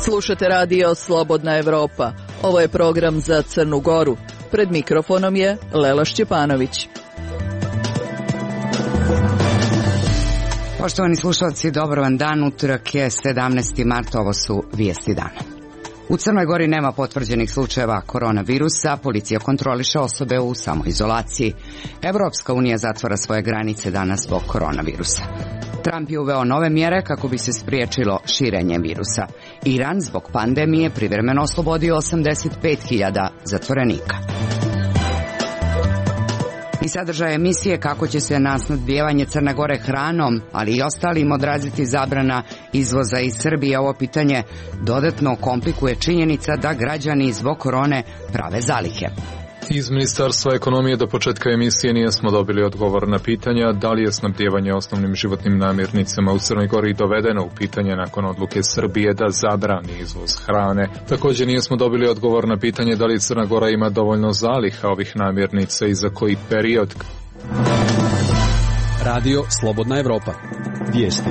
Slušate radio Slobodna Evropa. Ovo je program za Crnu Goru. Pred mikrofonom je Lela Šćepanović. Poštovani slušalci, dobro vam dan. Utorak je 17. mart, ovo su vijesti dana. U Crnoj Gori nema potvrđenih slučajeva koronavirusa, policija kontroliše osobe u samoizolaciji. Evropska unija zatvara svoje granice danas zbog koronavirusa. Trump je uveo nove mjere kako bi se spriječilo širenje virusa. Iran zbog pandemije privremeno oslobodio 85.000 zatvorenika. I sadržaj emisije kako će se na snabdijevanje Crne Gore hranom, ali i ostalim odraziti zabrana izvoza iz Srbije. Ovo pitanje dodatno komplikuje činjenica da građani zbog korone prave zalihe. Iz Ministarstva ekonomije do početka emisije nismo dobili odgovor na pitanja da li je snabdijevanje osnovnim životnim namirnicama u Crnoj Gori dovedeno u pitanje nakon odluke Srbije da zabrani izvoz hrane. Također nismo dobili odgovor na pitanje da li Crna Gora ima dovoljno zaliha ovih namirnica i za koji period. Radio Slobodna Evropa. Vijesti.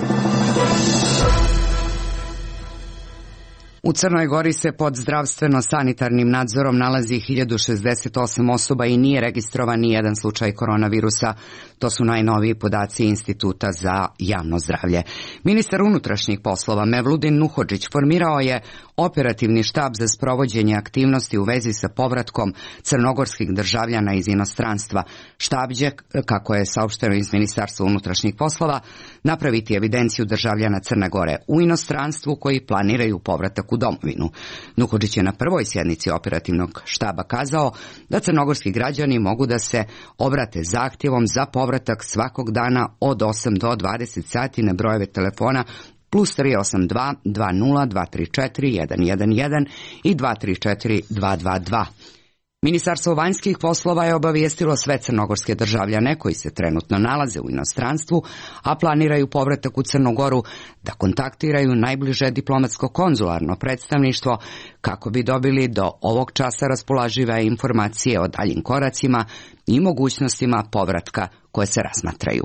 U Crnoj Gori se pod zdravstveno-sanitarnim nadzorom nalazi 1068 osoba i nije registrovan ni jedan slučaj koronavirusa. To su najnoviji podaci Instituta za javno zdravlje. Ministar unutrašnjih poslova Mevludin Nuhodžić formirao je operativni štab za sprovođenje aktivnosti u vezi sa povratkom crnogorskih državljana iz inostranstva. Štab će, kako je saopšteno iz Ministarstva unutrašnjih poslova, napraviti evidenciju državljana Crne Gore u inostranstvu koji planiraju povratak u domovinu. Nuhodžić je na prvoj sjednici operativnog štaba kazao da crnogorski građani mogu da se obrate zahtjevom za povratak svakog dana od 8 do 20 sati na brojeve telefona plus 382 20 234 111 i 234 222. Ministarstvo vanjskih poslova je obavijestilo sve crnogorske državljane koji se trenutno nalaze u inostranstvu, a planiraju povratak u Crnu Goru, da kontaktiraju najbliže diplomatsko-konzularno predstavništvo kako bi dobili do ovog časa raspoložive informacije o daljim koracima i mogućnostima povratka koje se razmatraju.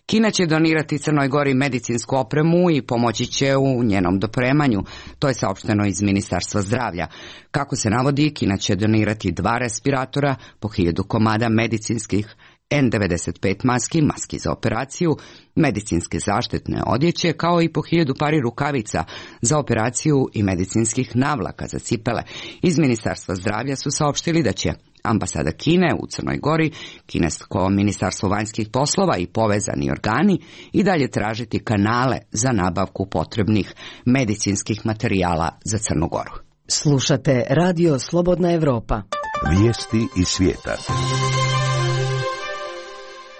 Kina će donirati Crnoj Gori medicinsku opremu i pomoći će u njenom dopremanju. To je saopšteno iz Ministarstva zdravlja. Kako se navodi, Kina će donirati 2 respiratora, po 1000 komada medicinskih N95 maski za operaciju, medicinske zaštitne odjeće, kao i po 1000 pari rukavica za operaciju i medicinskih navlaka za cipele. Iz Ministarstva zdravlja su saopštili da će ambasada Kine u Crnoj Gori, kinesko ministarstvo vanjskih poslova i povezani organi i dalje tražiti kanale za nabavku potrebnih medicinskih materijala za Crnu Goru. Slušate radio Slobodna Evropa. Vijesti iz svijeta.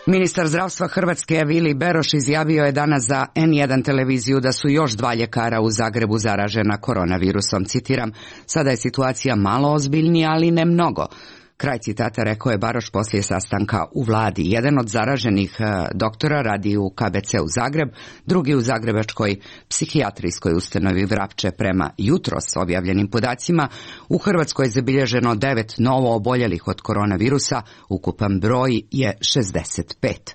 Ministar zdravstva Hrvatske Vili Beroš izjavio je danas za N1 televiziju da su još 2 ljekara u Zagrebu zaražena koronavirusom. Citiram, sada je situacija malo ozbiljnija, ali ne mnogo. Kraj citata rekao je Baroš poslije sastanka u vladi. Jedan od zaraženih doktora radi u KBC u Zagreb, drugi u zagrebačkoj psihijatrijskoj ustanovi Vrapče. Prema jutros objavljenim podacima, u Hrvatskoj je zabilježeno 9 novo oboljelih od koronavirusa, ukupan broj je 65.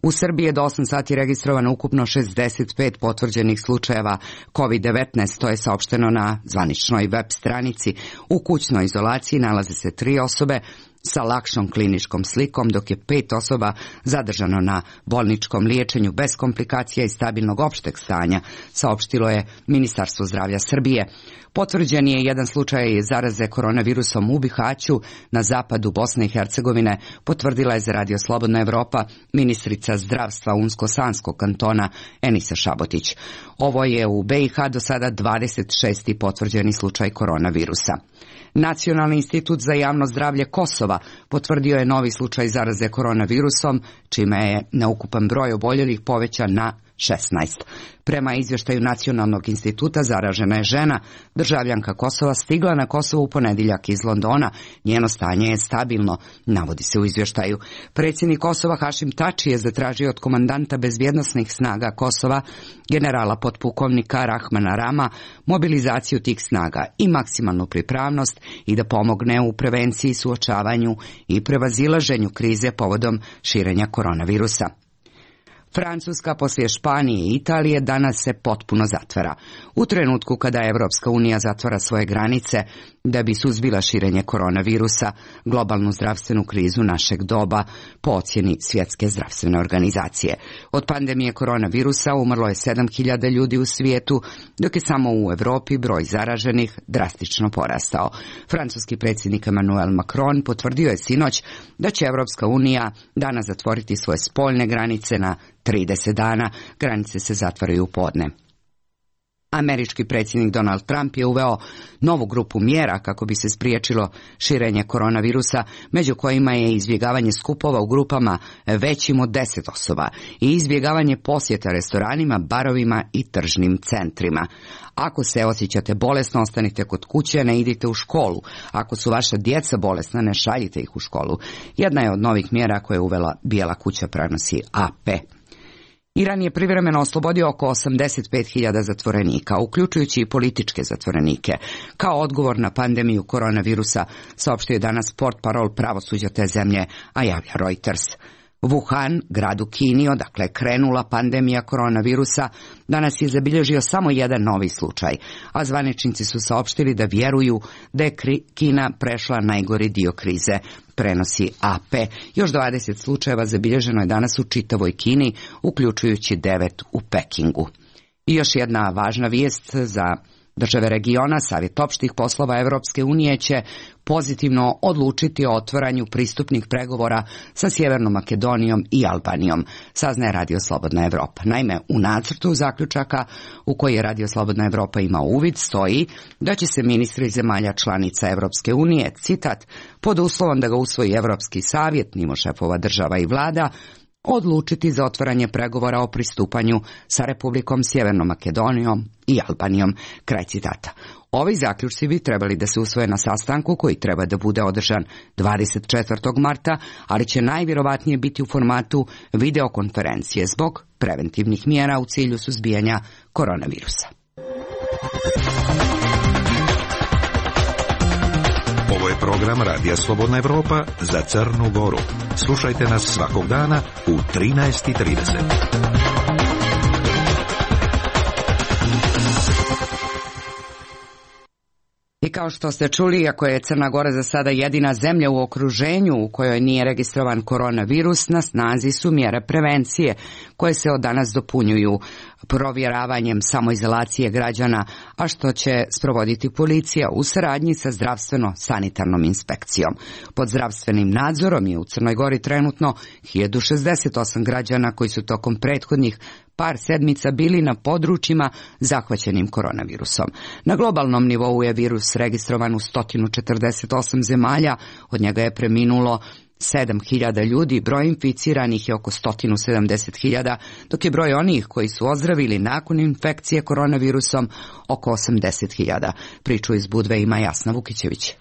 U Srbiji je do 8 sati registrovano ukupno 65 potvrđenih slučajeva COVID-19, to je saopšteno na zvaničnoj web stranici. U kućnoj izolaciji nalaze se 3 osobe sa lakšom kliničkom slikom, dok je 5 osoba zadržano na bolničkom liječenju bez komplikacija i stabilnog opšteg stanja, saopštilo je Ministarstvo zdravlja Srbije. Potvrđen je jedan slučaj zaraze koronavirusom u Bihaću na zapadu Bosne i Hercegovine, potvrdila je za Radio Slobodna Evropa ministrica zdravstva Unsko-Sanskog kantona Enisa Šabotić. Ovo je u BiH do sada 26. potvrđeni slučaj koronavirusa. Nacionalni institut za javno zdravlje Kosova potvrdio je novi slučaj zaraze koronavirusom, čime je na ukupan broj oboljelih povećan na 16. Prema izvještaju Nacionalnog instituta, zaražena je žena, državljanka Kosova, stigla na Kosovo u ponedjeljak iz Londona. Njeno stanje je stabilno, navodi se u izvještaju. Predsjednik Kosova Hašim Tači je zatražio od komandanta bezbjednosnih snaga Kosova, generala potpukovnika Rahmana Rama, mobilizaciju tih snaga i maksimalnu pripravnost i da pomogne u prevenciji, suočavanju i prevazilaženju krize povodom širenja koronavirusa. Francuska poslije Španije i Italije danas se potpuno zatvara. U trenutku kada Evropska unija zatvara svoje granice da bi suzbila širenje koronavirusa, globalnu zdravstvenu krizu našeg doba, po ocjeni Svjetske zdravstvene organizacije. Od pandemije koronavirusa umrlo je 7.000 ljudi u svijetu, dok je samo u Europi broj zaraženih drastično porastao. Francuski predsjednik Emmanuel Macron potvrdio je sinoć da će Evropska unija danas zatvoriti svoje spoljne granice na 30 dana, granice se zatvaraju u podne. Američki predsjednik Donald Trump je uveo novu grupu mjera kako bi se spriječilo širenje koronavirusa, među kojima je izbjegavanje skupova u grupama većim od 10 osoba i izbjegavanje posjeta restoranima, barovima i tržnim centrima. Ako se osjećate bolesno, ostanite kod kuće, ne idite u školu. Ako su vaša djeca bolesna, ne šaljite ih u školu. Jedna je od novih mjera koje je uvela Bijela kuća, prenosi AP. Iran je privremeno oslobodio oko 85.000 zatvorenika, uključujući i političke zatvorenike. Kao odgovor na pandemiju koronavirusa, saopštio je danas portparol pravosuđa te zemlje, a javlja Reuters. Wuhan, grad u Kini, odakle je krenula pandemija koronavirusa, danas je zabilježio samo jedan novi slučaj, a zvaničnici su saopštili da vjeruju da je Kina prešla najgori dio krize, prenosi AP. Još 20 slučajeva zabilježeno je danas u čitavoj Kini, uključujući 9 u Pekingu. I još jedna važna vijest za države regiona, Savjet opštih poslova Evropske unije će pozitivno odlučiti o otvaranju pristupnih pregovora sa Sjevernom Makedonijom i Albanijom, saznaje Radio Slobodna Evropa. Naime, u nacrtu zaključaka u koji je Radio Slobodna Evropa ima uvid stoji da će se ministri zemalja članica Evropske unije, citat, pod uslovom da ga usvoji Evropski savjet, mimo šefova država i vlada, odlučiti za otvaranje pregovora o pristupanju sa Republikom Sjevernom Makedonijom i Albanijom, kraj citata. Ovi zaključci bi trebali da se usvoje na sastanku koji treba da bude održan 24. marta, ali će najvjerovatnije biti u formatu videokonferencije zbog preventivnih mjera u cilju suzbijanja koronavirusa. Ovo je program Radija Slobodna Evropa za Crnu Goru. Slušajte nas svakog dana u 13:30. I kao što ste čuli, iako je Crna Gora za sada jedina zemlja u okruženju u kojoj nije registrovan koronavirus, na snazi su mjere prevencije koje se od danas dopunjuju provjeravanjem samoizolacije građana, a što će sprovoditi policija u saradnji sa zdravstveno-sanitarnom inspekcijom. Pod zdravstvenim nadzorom je u Crnoj Gori trenutno 1068 građana koji su tokom prethodnih par sedmica bili na područjima zahvaćenim koronavirusom. Na globalnom nivou je virus registrovan u 148 zemalja, od njega je preminulo 7.000 ljudi, broj inficiranih je oko 170.000, dok je broj onih koji su ozdravili nakon infekcije koronavirusom oko 80.000. Priču iz Budve ima Jasna Vukićević.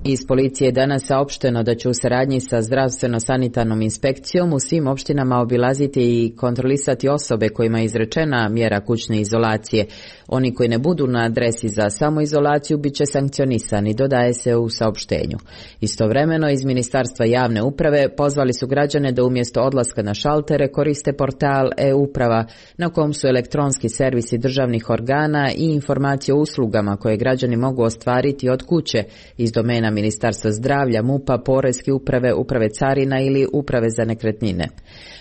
Iz policije je danas saopšteno da će u saradnji sa zdravstveno-sanitarnom inspekcijom u svim opštinama obilaziti i kontrolisati osobe kojima je izrečena mjera kućne izolacije. Oni koji ne budu na adresi za samoizolaciju bit će sankcionisani, dodaje se u saopštenju. Istovremeno iz Ministarstva javne uprave pozvali su građane da umjesto odlaska na šaltere koriste portal e-uprava na kom su elektronski servisi državnih organa i informacije o uslugama koje građani mogu ostvariti od kuće iz domena Ministarstva zdravlja, MUP-a, Poreske uprave, Uprave carina ili Uprave za nekretnine.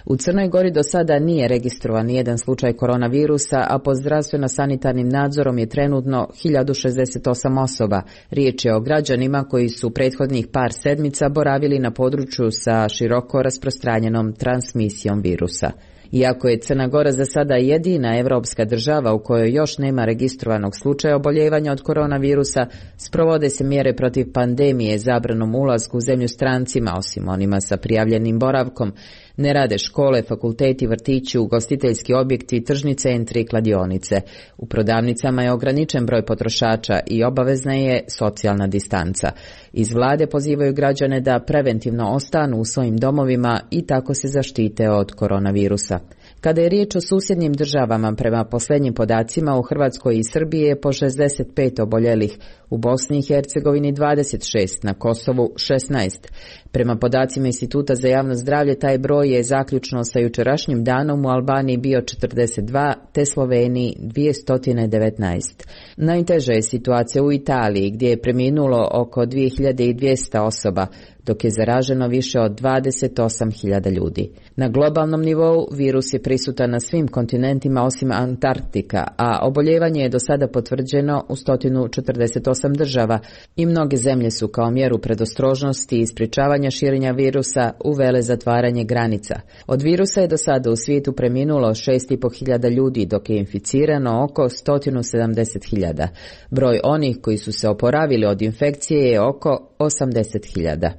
U Crnoj Gori do sada nije registrovan nijedan slučaj koronavirusa, a pod zdravstveno-sanitarnim nadzorom je trenutno 1068 osoba. Riječ je o građanima koji su prethodnih par sedmica boravili na području sa široko rasprostranjenom transmisijom virusa. Iako je Crna Gora za sada jedina evropska država u kojoj još nema registrovanog slučaja oboljevanja od koronavirusa, sprovode se mjere protiv pandemije zabranom ulasku u zemlju strancima, osim onima sa prijavljenim boravkom. Ne rade škole, fakulteti, vrtići, ugostiteljski objekti, tržni centri i kladionice. U prodavnicama je ograničen broj potrošača i obavezna je socijalna distanca. Iz vlade pozivaju građane da preventivno ostanu u svojim domovima i tako se zaštite od koronavirusa. Kada je riječ o susjednim državama, prema posljednjim podacima u Hrvatskoj i Srbiji je po 65 oboljelih, u Bosni i Hercegovini 26, na Kosovu 16. Prema podacima Instituta za javno zdravlje, taj broj je zaključno sa jučerašnjim danom u Albaniji bio 42, te Sloveniji 219. Najteža je situacija u Italiji, gdje je preminulo oko 2200 osoba, dok je zaraženo više od 28.000 ljudi. Na globalnom nivou virus je prisutan na svim kontinentima osim Antarktika, a oboljevanje je do sada potvrđeno u 148 država i mnoge zemlje su kao mjeru predostrožnosti i sprječavanja širenja virusa uvele zatvaranje granica. Od virusa je do sada u svijetu preminulo 6.500 ljudi, dok je inficirano oko 170.000. Broj onih koji su se oporavili od infekcije je oko 80.000.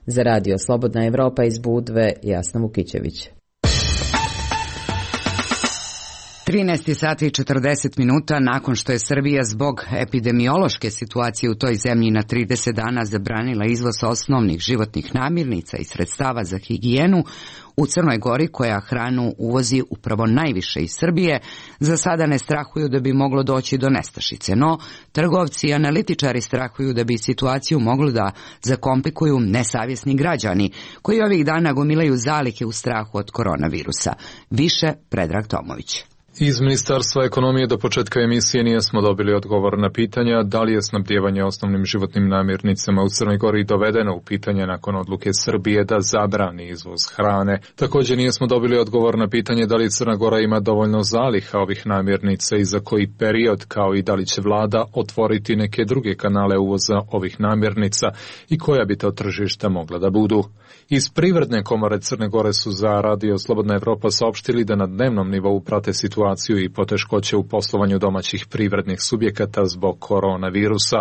Za radio Slobodna Evropa iz Budve, Jasna Vukićević. 13 sati i 40 minuta nakon što je Srbija zbog epidemiološke situacije u toj zemlji na 30 dana zabranila izvoz osnovnih životnih namirnica i sredstava za higijenu, u Crnoj Gori, koja hranu uvozi upravo najviše iz Srbije, za sada ne strahuju da bi moglo doći do nestašice, no trgovci i analitičari strahuju da bi situaciju moglo da zakomplikuju nesavjesni građani, koji ovih dana gomilaju zalihe u strahu od koronavirusa. Više Predrag Tomović. Iz Ministarstva ekonomije do početka emisije nismo dobili odgovor na pitanja da li je snabdijevanje osnovnim životnim namirnicama u Crnoj Gori dovedeno u pitanje nakon odluke Srbije da zabrani izvoz hrane. Također nismo dobili odgovor na pitanje da li Crna Gora ima dovoljno zaliha ovih namirnica i za koji period, kao i da li će vlada otvoriti neke druge kanale uvoza ovih namirnica i koja bi to tržišta mogla da budu. Iz Privredne komore Crne Gore su za radio Slobodna Evropa saopštili da na dnevnom nivou prate situaciju i poteškoće u poslovanju domaćih privrednih subjekata zbog koronavirusa.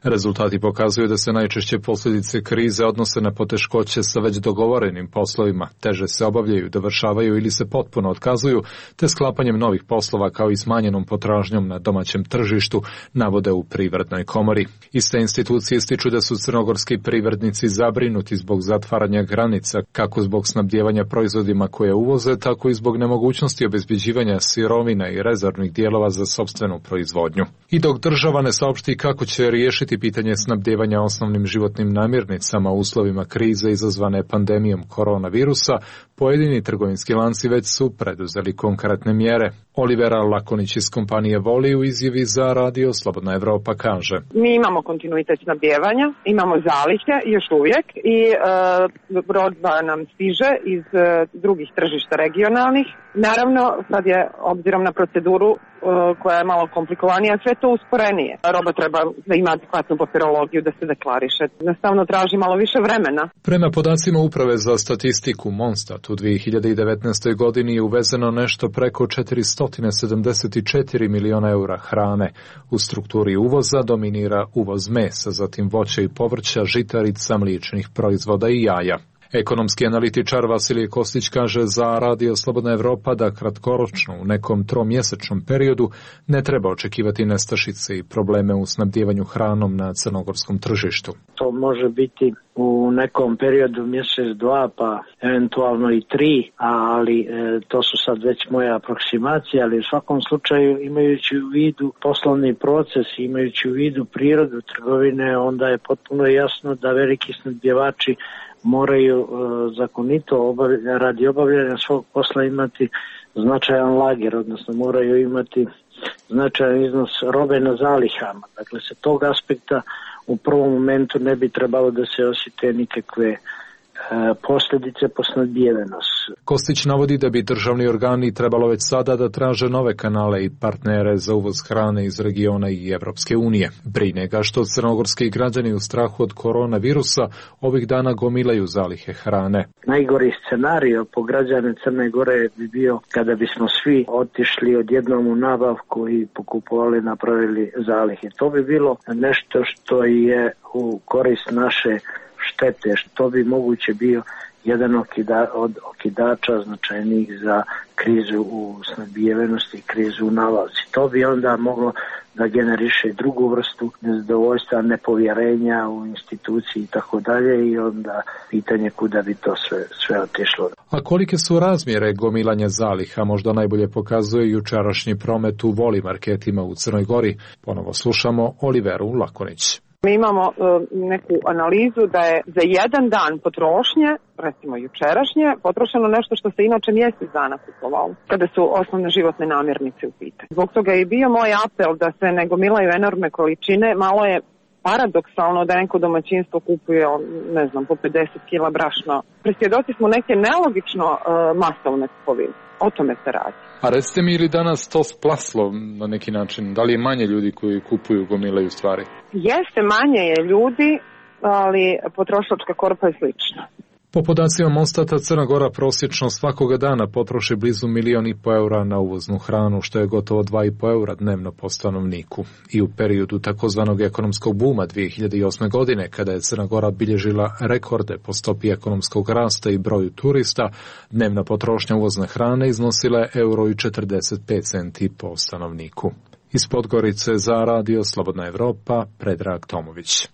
Rezultati pokazuju da se najčešće posljedice krize odnose na poteškoće sa već dogovorenim poslovima, teže se obavljaju, dovršavaju ili se potpuno otkazuju, te sklapanjem novih poslova kao i smanjenom potražnjom na domaćem tržištu, navode u Privrednoj komori. Iste institucije ističu da su crnogorski privrednici zabrinuti zbog zatvaranja granica, kako zbog snabdijevanja proizvodima koje uvoze, tako i zbog nemogućnosti obezbeđivanja sirovina i rezervnih dijelova za sopstvenu proizvodnju. I dok država ne saopšti kako će riješiti pitanje snabdijevanja osnovnim životnim namirnicama u uslovima krize izazvane pandemijom koronavirusa, pojedini trgovinski lanci već su preduzeli konkretne mjere. Olivera Lakonić iz kompanije Voli u izjavi za radio Slobodna Evropa kaže: Mi imamo kontinuitet snabdijevanja, imamo zalihe još uvijek i roba nam stiže iz drugih tržišta regionalnih. Naravno, sad je, obzirom na proceduru koja je malo komplikovanija, sve to usporenije. Roba treba da ima adekvatnu papirologiju, da se deklariše. Nastavno traži malo više vremena. Prema podacima Uprave za statistiku Monstat, u 2019. godini je uvezeno nešto preko 474 miliona eura hrane. U strukturi uvoza dominira uvoz mesa, zatim voća i povrća, žitarica, mliječnih proizvoda i jaja. Ekonomski analitičar Vasilije Kostić kaže za radio Slobodna Evropa da kratkoročno u nekom tromjesečnom periodu ne treba očekivati nestašice i probleme u snabdijevanju hranom na crnogorskom tržištu. To može biti u nekom periodu mjesec, dva, pa eventualno i 3, ali to su sad već moje aproksimacije, ali u svakom slučaju imajući u vidu poslovni proces, imajući u vidu prirodu trgovine, onda je potpuno jasno da veliki snabdjevači moraju zakonito radi obavljanja svog posla imati značajan lager, odnosno moraju imati značajan iznos robe na zalihama. Dakle, sa tog aspekta u prvom momentu ne bi trebalo da se osjete nikakve posljedice po snabdijevenost. Kostić navodi da bi državni organi trebalo već sada da traže nove kanale i partnere za uvoz hrane iz regiona i Evropske unije. Brine ga što crnogorski građani u strahu od koronavirusa ovih dana gomilaju zalihe hrane. Najgori scenario po građane Crne Gore bi bio kada bismo svi otišli odjednom u nabavku i pokupovali, napravili zalihe. To bi bilo nešto što je u korist naše štete, što bi moguće bio jedan od okidača značajnih za krizu u snabdijevenosti i krizu u nabavci. To bi onda moglo da generiše drugu vrstu nezadovoljstva, nepovjerenja u instituciji i tako dalje, i onda pitanje kuda bi to sve otišlo. A kolike su razmjere gomilanja zaliha možda najbolje pokazuje jučerašnji promet u Voli marketima u Crnoj Gori. Ponovo slušamo Oliveru Lakonić. Mi imamo neku analizu da je za jedan dan potrošnje, recimo jučerašnje, potrošeno nešto što se inače mjesec dana kupovalo, kada su osnovne životne namirnice u pitanju. Zbog toga je bio moj apel da se ne gomilaju enormne količine. Malo je paradoksalno da neko domaćinstvo kupuje, ne znam, po 50 kila brašna. Presvjedoci smo neke nelogično masovne kupovine. O tome se radi. A recite mi, ili danas to splaslo na neki način? Da li je manje ljudi koji kupuju, gomilaju stvari? Jeste, manje je ljudi, ali potrošačka korpa je slična. Po podacima Monstata, Crna Gora prosječno svakoga dana potroši blizu 1,5 miliona na uvoznu hranu, što je gotovo 2,5 eura dnevno po stanovniku. I u periodu takozvanog ekonomskog buma 2008. godine, kada je Crna Gora bilježila rekorde po stopi ekonomskog rasta i broju turista, dnevna potrošnja uvozne hrane iznosila je €1,45 po stanovniku. Iz Podgorice za Radio Slobodna Evropa, Predrag Tomović.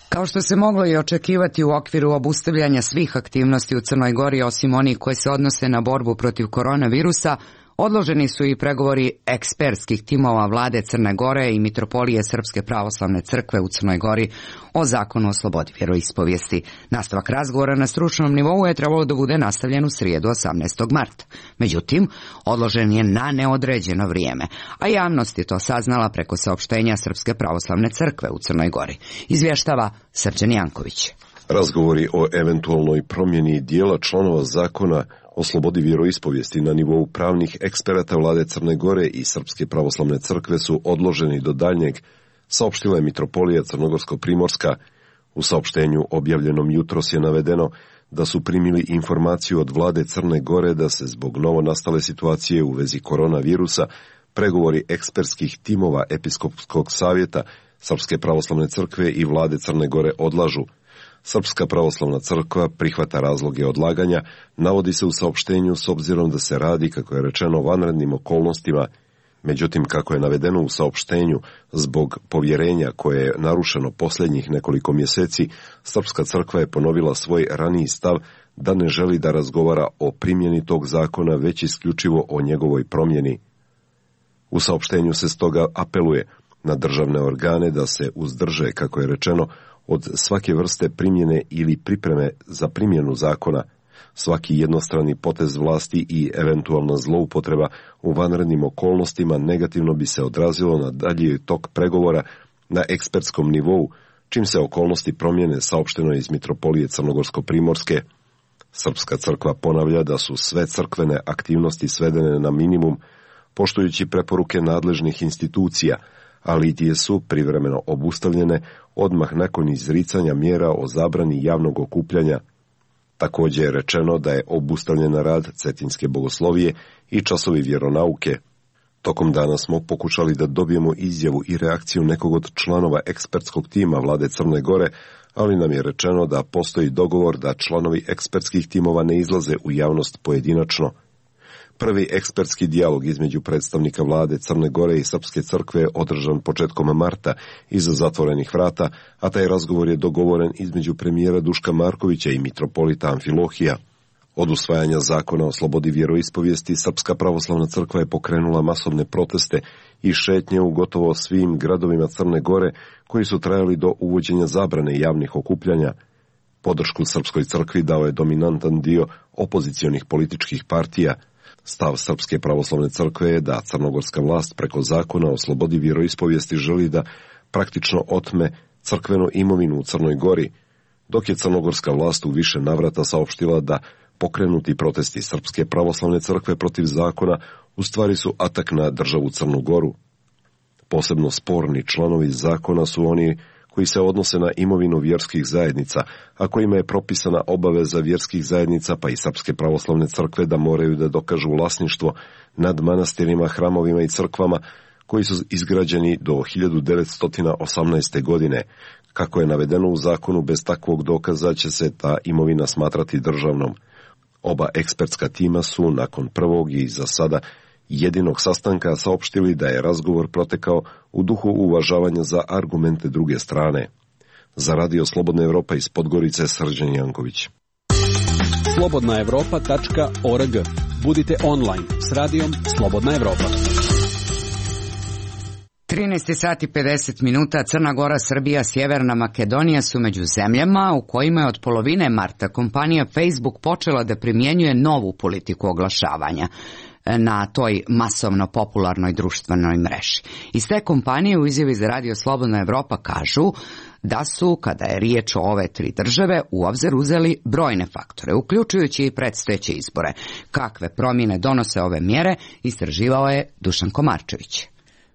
Kao što se moglo i očekivati u okviru obustavljanja svih aktivnosti u Crnoj Gori, osim onih koje se odnose na borbu protiv koronavirusa, odloženi su i pregovori ekspertskih timova vlade Crne Gore i Mitropolije Srpske pravoslavne crkve u Crnoj Gori o zakonu o slobodi vjeroispovijesti. Nastavak razgovora na stručnom nivou je trebalo da bude nastavljen u srijedu 18. marta. Međutim, odložen je na neodređeno vrijeme, a javnost je to saznala preko saopštenja Srpske pravoslavne crkve u Crnoj Gori. Izvještava Srđan Janković. Razgovori o eventualnoj promjeni dijela članova zakona o slobodi vjeroispovijesti na nivou pravnih eksperata vlade Crne Gore i Srpske pravoslavne crkve su odloženi do daljnjeg, saopštila je Mitropolija Crnogorsko-Primorska. U saopštenju objavljenom jutros je navedeno da su primili informaciju od vlade Crne Gore da se zbog novonastale situacije u vezi koronavirusa pregovori ekspertskih timova Episkopskog savjeta Srpske pravoslavne crkve i vlade Crne Gore odlažu. Srpska pravoslavna crkva prihvata razloge odlaganja, navodi se u saopštenju s obzirom da se radi, kako je rečeno, o vanrednim okolnostima. Međutim, kako je navedeno u saopštenju, zbog povjerenja koje je narušeno posljednjih nekoliko mjeseci, Srpska crkva je ponovila svoj raniji stav da ne želi da razgovara o primjeni tog zakona, već isključivo o njegovoj promjeni. U saopštenju se stoga apeluje na državne organe da se uzdrže, kako je rečeno, od svake vrste primjene ili pripreme za primjenu zakona. Svaki jednostrani potez vlasti i eventualna zloupotreba u vanrednim okolnostima negativno bi se odrazilo na dalji tok pregovora na ekspertskom nivou, čim se okolnosti promjene, saopšteno iz Mitropolije Crnogorsko-Primorske. Srpska crkva ponavlja da su sve crkvene aktivnosti svedene na minimum, poštujući preporuke nadležnih institucija, a litije su privremeno obustavljene odmah nakon izricanja mjera o zabrani javnog okupljanja. Također je rečeno da je obustavljen rad Cetinske bogoslovije i časovi vjeronauke. Tokom dana smo pokušali da dobijemo izjavu i reakciju nekog od članova ekspertskog tima vlade Crne Gore, ali nam je rečeno da postoji dogovor da članovi ekspertskih timova ne izlaze u javnost pojedinačno. Prvi ekspertski dijalog između predstavnika vlade Crne Gore i Srpske crkve je održan početkom marta iza zatvorenih vrata, a taj razgovor je dogovoren između premijera Duška Markovića i mitropolita Amfilohija. Od usvajanja zakona o slobodi vjeroispovijesti, Srpska pravoslavna crkva je pokrenula masovne proteste i šetnje u gotovo svim gradovima Crne Gore, koji su trajali do uvođenja zabrane javnih okupljanja. Podršku Srpskoj crkvi dao je dominantan dio opozicionih političkih partija. Stav Srpske pravoslavne crkve je da crnogorska vlast preko zakona o slobodi vjeroispovijesti želi da praktično otme crkvenu imovinu u Crnoj Gori, dok je crnogorska vlast u više navrata saopštila da pokrenuti protesti Srpske pravoslavne crkve protiv zakona u stvari su atak na državu Crnu Goru. Posebno sporni članovi zakona su oni koji se odnose na imovinu vjerskih zajednica, a kojima je propisana obaveza vjerskih zajednica pa i Srpske pravoslavne crkve da moraju da dokažu vlasništvo nad manastirima, hramovima i crkvama koji su izgrađeni do 1918. godine. Kako je navedeno u zakonu, bez takvog dokaza će se ta imovina smatrati državnom. Oba ekspertska tima su nakon prvog i za sada jedinog sastanka saopštili da je razgovor protekao u duhu uvažavanja za argumente druge strane. Za Radio Slobodna Evropa iz Podgorice, Srđan Janković. slobodnaevropa.org. Budite online s radijom Slobodna Evropa. 13 sati 50 minuta. Crna Gora, Srbija, Sjeverna Makedonija su među zemljama u kojima je od polovine marta kompanija Facebook počela da primjenjuje novu politiku oglašavanja na toj masovno popularnoj društvenoj mreži. Iz te kompanije u izjavi za Radio Slobodna Evropa kažu da su, kada je riječ o ove tri države, u obzir uzeli brojne faktore, uključujući i predstojeće izbore. Kakve promjene donose ove mjere, istraživao je Dušan Komarčević.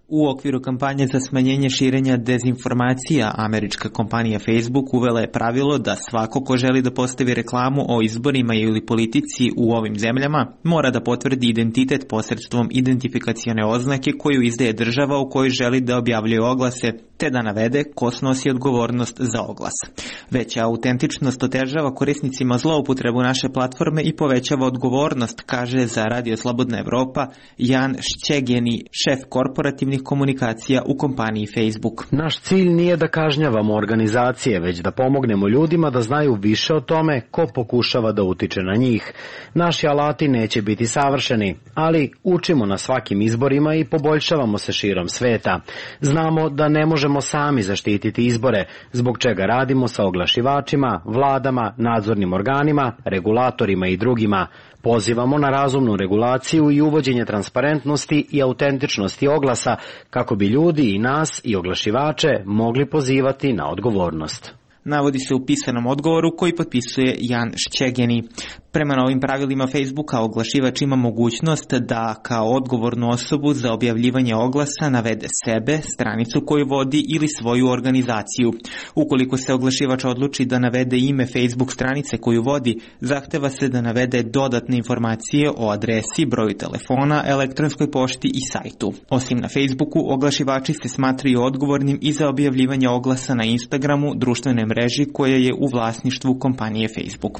U okviru kampanje za smanjenje širenja dezinformacija, američka kompanija Facebook uvela je pravilo da svako ko želi da postavi reklamu o izborima ili politici u ovim zemljama mora da potvrdi identitet posredstvom identifikacione oznake koju izdaje država u kojoj želi da objavljuje oglase, te da navede ko snosi odgovornost za oglas. Veća autentičnost otežava korisnicima zloupotrebu naše platforme i povećava odgovornost, kaže za Radio Slobodna Evropa Jan Šćegeni, šef korporativnih komunikacija u kompaniji Facebook. Naš cilj nije da kažnjavamo organizacije, već da pomognemo ljudima da znaju više o tome ko pokušava da utiče na njih. Naši alati neće biti savršeni, ali učimo na svakim izborima i poboljšavamo se širom sveta. Znamo da ne možemo sami zaštititi izbore, zbog čega radimo sa oglašivačima, vladama, nadzornim organima, regulatorima i drugima. Pozivamo na razumnu regulaciju i uvođenje transparentnosti i autentičnosti oglasa kako bi ljudi i nas i oglašivače mogli pozivati na odgovornost. Navodi se u pisanom odgovoru koji potpisuje Jan Šćegeni. Prema novim pravilima Facebooka oglašivač ima mogućnost da kao odgovornu osobu za objavljivanje oglasa navede sebe, stranicu koju vodi ili svoju organizaciju. Ukoliko se oglašivač odluči da navede ime Facebook stranice koju vodi, zahteva se da navede dodatne informacije o adresi, broju telefona, elektronskoj pošti i sajtu. Osim na Facebooku, oglašivači se smatraju odgovornim i za objavljivanje oglasa na Instagramu, društvenoj mreži koja je u vlasništvu kompanije Facebook.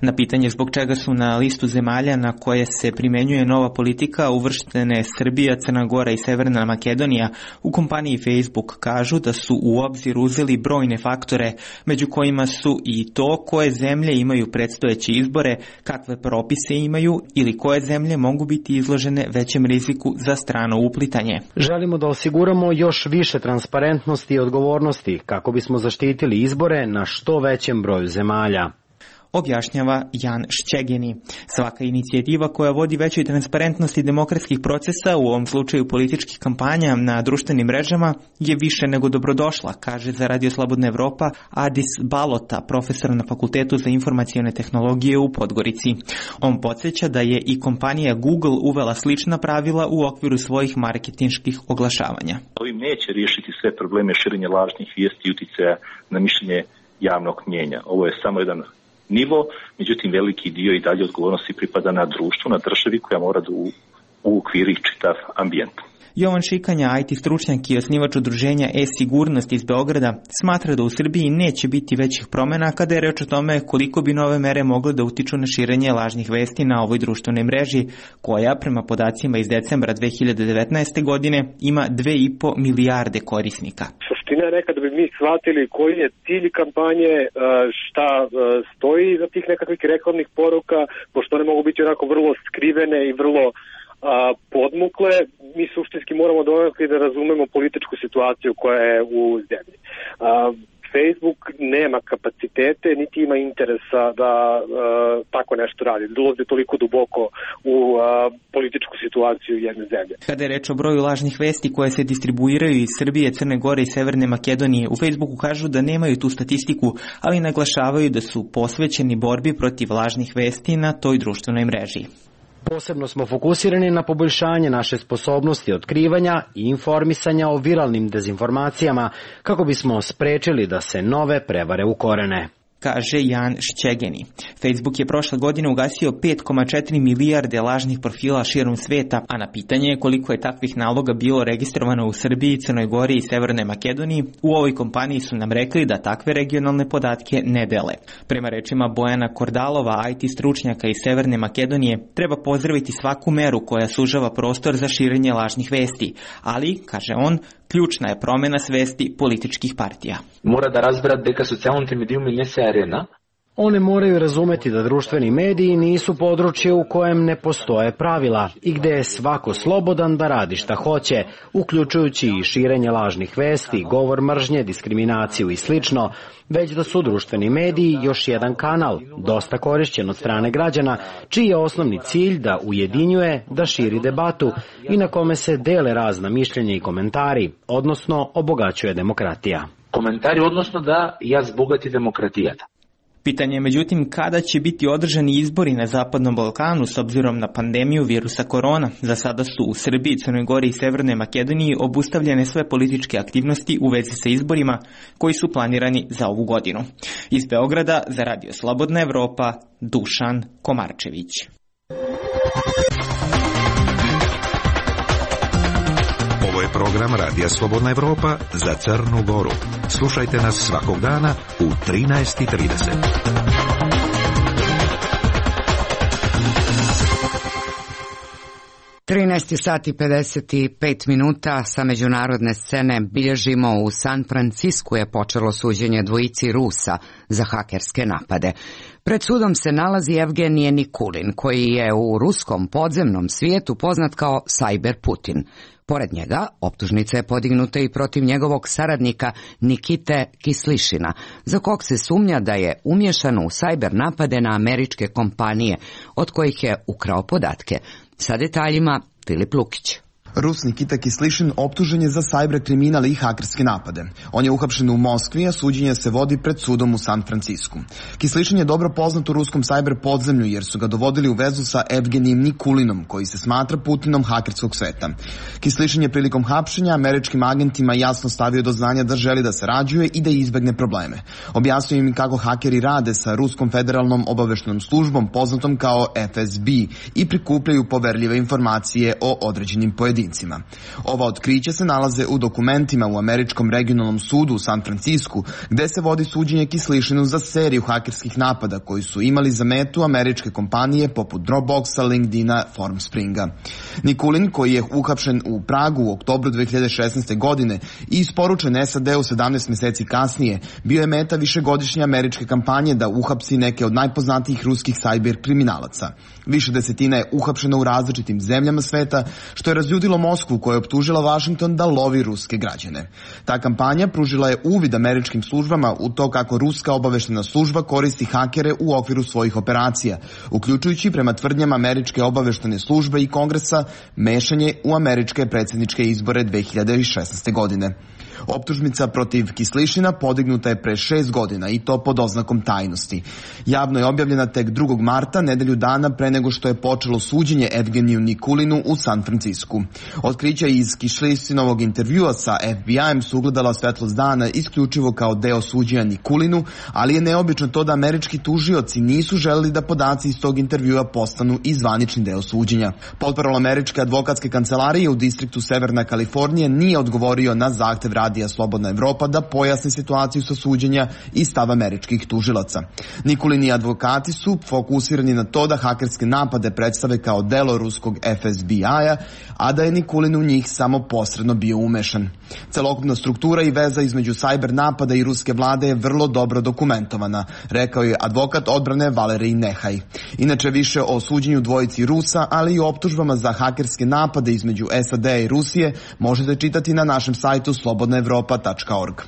Na pitanje zbog čega su na listu zemalja na koje se primenjuje nova politika uvrštene Srbija, Crna Gora i Severna Makedonija, u kompaniji Facebook kažu da su u obzir uzeli brojne faktore, među kojima su i to koje zemlje imaju predstojeće izbore, kakve propise imaju ili koje zemlje mogu biti izložene većem riziku za strano uplitanje. Želimo da osiguramo još više transparentnosti i odgovornosti kako bismo zaštitili izbore na što većem broju zemalja, objašnjava Jan Šćegeni. Svaka inicijativa koja vodi većoj transparentnosti demokratskih procesa, u ovom slučaju političkih kampanja na društvenim mrežama, je više nego dobrodošla, kaže za Radio Slobodna Evropa Adis Balota, profesor na Fakultetu za informacione tehnologije u Podgorici. On podsjeća da je i kompanija Google uvela slična pravila u okviru svojih marketinških oglašavanja. Ovim neće riješiti sve probleme širenja lažnih vijesti i uticaja na mišljenje javnog mnjenja. Ovo je samo jedan nivo, međutim veliki dio i dalje odgovornosti pripada na društvu, na državi koja mora da uokviri čitav ambijent. Jovan Šikanja, IT stručnjak i osnivač udruženja e-sigurnost iz Beograda, smatra da u Srbiji neće biti većih promjena kada je reč o tome koliko bi nove mere mogle da utiču na širenje lažnih vesti na ovoj društvenoj mreži, koja prema podacima iz decembra 2019. godine ima 2,5 milijarde korisnika. Suština je nekada bi mi shvatili koji je cilj kampanje, šta stoji za tih nekakvih reklamnih poruka, pošto one mogu biti onako vrlo skrivene i vrlo podmukle, mi suštinski moramo donekle da razumemo političku situaciju koja je u zemlji. Facebook nema kapacitete, niti ima interesa da tako nešto radi, da ulazi toliko duboko u političku situaciju jedne zemlje. Kada je reč o broju lažnih vesti koje se distribuiraju iz Srbije, Crne Gore i Severne Makedonije, u Facebooku kažu da nemaju tu statistiku, ali naglašavaju da su posvećeni borbi protiv lažnih vesti na toj društvenoj mreži. Posebno smo fokusirani na poboljšanje naše sposobnosti otkrivanja i informisanja o viralnim dezinformacijama kako bismo sprečili da se nove prevare ukorene. kaže Jan Šćegeni. Facebook je prošle godine ugasio 5,4 milijarde lažnih profila širom sveta, a na pitanje koliko je takvih naloga bilo registrovano u Srbiji, Crnoj Gori i Severnoj Makedoniji, u ovoj kompaniji su nam rekli da takve regionalne podatke ne dele. Prema rečima Bojana Kordalova, IT stručnjaka iz Severne Makedonije, treba pozdraviti svaku meru koja sužava prostor za širenje lažnih vesti, ali, kaže on, ključna je promena svesti političkih partija. Mora da razbrat дека социјалните медиуми не се арена. One moraju razumeti da društveni mediji nisu područje u kojem ne postoje pravila i gde je svako slobodan da radi šta hoće, uključujući i širenje lažnih vesti, govor mržnje, diskriminaciju i slično, već da su društveni mediji još jedan kanal, dosta korišćen od strane građana, čiji je osnovni cilj da ujedinjuje, da širi debatu i na kome se dele razna mišljenja i komentari, odnosno obogaćuje demokratija. Коментари, односно да ја збогати демократијата. Pitanje je međutim kada će biti održani izbori na Zapadnom Balkanu s obzirom na pandemiju virusa korona. Za sada su u Srbiji, Crnoj Gori i Severnoj Makedoniji obustavljene sve političke aktivnosti u vezi sa izborima koji su planirani za ovu godinu. Iz Beograda za Radio Slobodna Evropa, Dušan Komarčević. Ovo je program Radija Slobodna Evropa za Crnu Goru. Slušajte nas svakog dana u 13:30. sati 55 minuta sa međunarodne scene bilježimo. U San Francisku je počelo suđenje dvojici Rusa za hakerske napade. Pred sudom se nalazi Evgenije Nikulin, koji je u ruskom podzemnom svijetu poznat kao Cyber Putin. Pored njega, optužnica je podignuta i protiv njegovog saradnika Nikite Kislišina, za kog se sumnja da je umješan u sajber napade na američke kompanije, od kojih je ukrao podatke. Sa detaljima Filip Lukić. Rus Nikita Kislišin optužen je za sajber kriminal i hakerske napade. On je uhapšen u Moskvi, a suđenje se vodi pred sudom u San Francisku. Kislišin je dobro poznat u ruskom sajber podzemlju jer su ga dovodili u vezu sa Evgenijem Nikulinom, koji se smatra Putinom hakerskog sveta. Kislišin je prilikom hapšenja američkim agentima jasno stavio do znanja da želi da sarađuje i da izbegne probleme. Objasnio im kako hakeri rade sa Ruskom federalnom obaveštajnom službom poznatom kao FSB i prikupljaju poverljive informacije o određenim pojedincima. Ova otkrića se nalaze u dokumentima u Američkom regionalnom sudu u San Francisku, gde se vodi suđenje Kislišinu za seriju hakerskih napada koji su imali za metu američke kompanije poput Dropboxa, LinkedIna, Formspringa. Nikulin, koji je uhapšen u Pragu u oktobru 2016. godine i isporučen SAD-u 17 meseci kasnije, bio je meta višegodišnje američke kampanje da uhapsi neke od najpoznatijih ruskih sajber kriminalaca. Više desetina je uhapšeno u različitim zemljama sveta, što je razljudilo Moskvu, koja je optužila Vašington da lovi ruske građane. Ta kampanja pružila je uvid američkim službama u to kako ruska obaveštajna služba koristi hakere u okviru svojih operacija, uključujući prema tvrdnjama američke obaveštajne službe i kongresa mešanje u američke predsjedničke izbore 2016. godine. Optužnica protiv Kislišina podignuta je pre 6 godina i to pod oznakom tajnosti. Javno je objavljena tek 2. marta, nedelju dana pre nego što je počelo suđenje Evgeniju Nikulinu u San Francisku. Otkrića iz Kislišinovog intervjua sa FBI-em su ugledala svetlost dana isključivo kao deo suđenja Nikulinu, ali je neobično to da američki tužioci nisu želeli da podaci iz tog intervjua postanu i zvanični deo suđenja. Portparol američke advokatske kancelarije u distriktu Severna Kalifornija nije odgovorio na zahtev Radija Slobodna Evropa da pojasni situaciju sa suđenja i stav američkih tužilaca. Nikulin i advokati su fokusirani na to da hakerske napade predstave kao delo ruskog FSB-a, a da je Nikulin u njih samo posredno bio umešan. Celokupna struktura i veza između sajber napada i ruske vlade je vrlo dobro dokumentovana, rekao je advokat odbrane Valerij Nehaj. Inače više o suđenju dvojici Rusa, ali i o optužbama za hakerske napade između SAD i Rusije možete čitati na našem sajtu slobodnaevropa.org.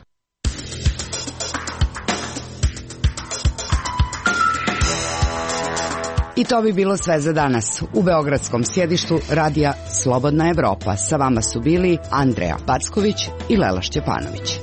I to bi bilo sve za danas. U beogradskom sjedištu Radija Slobodna Evropa sa vama su bili Andreja Packović i Lela Šćepanović.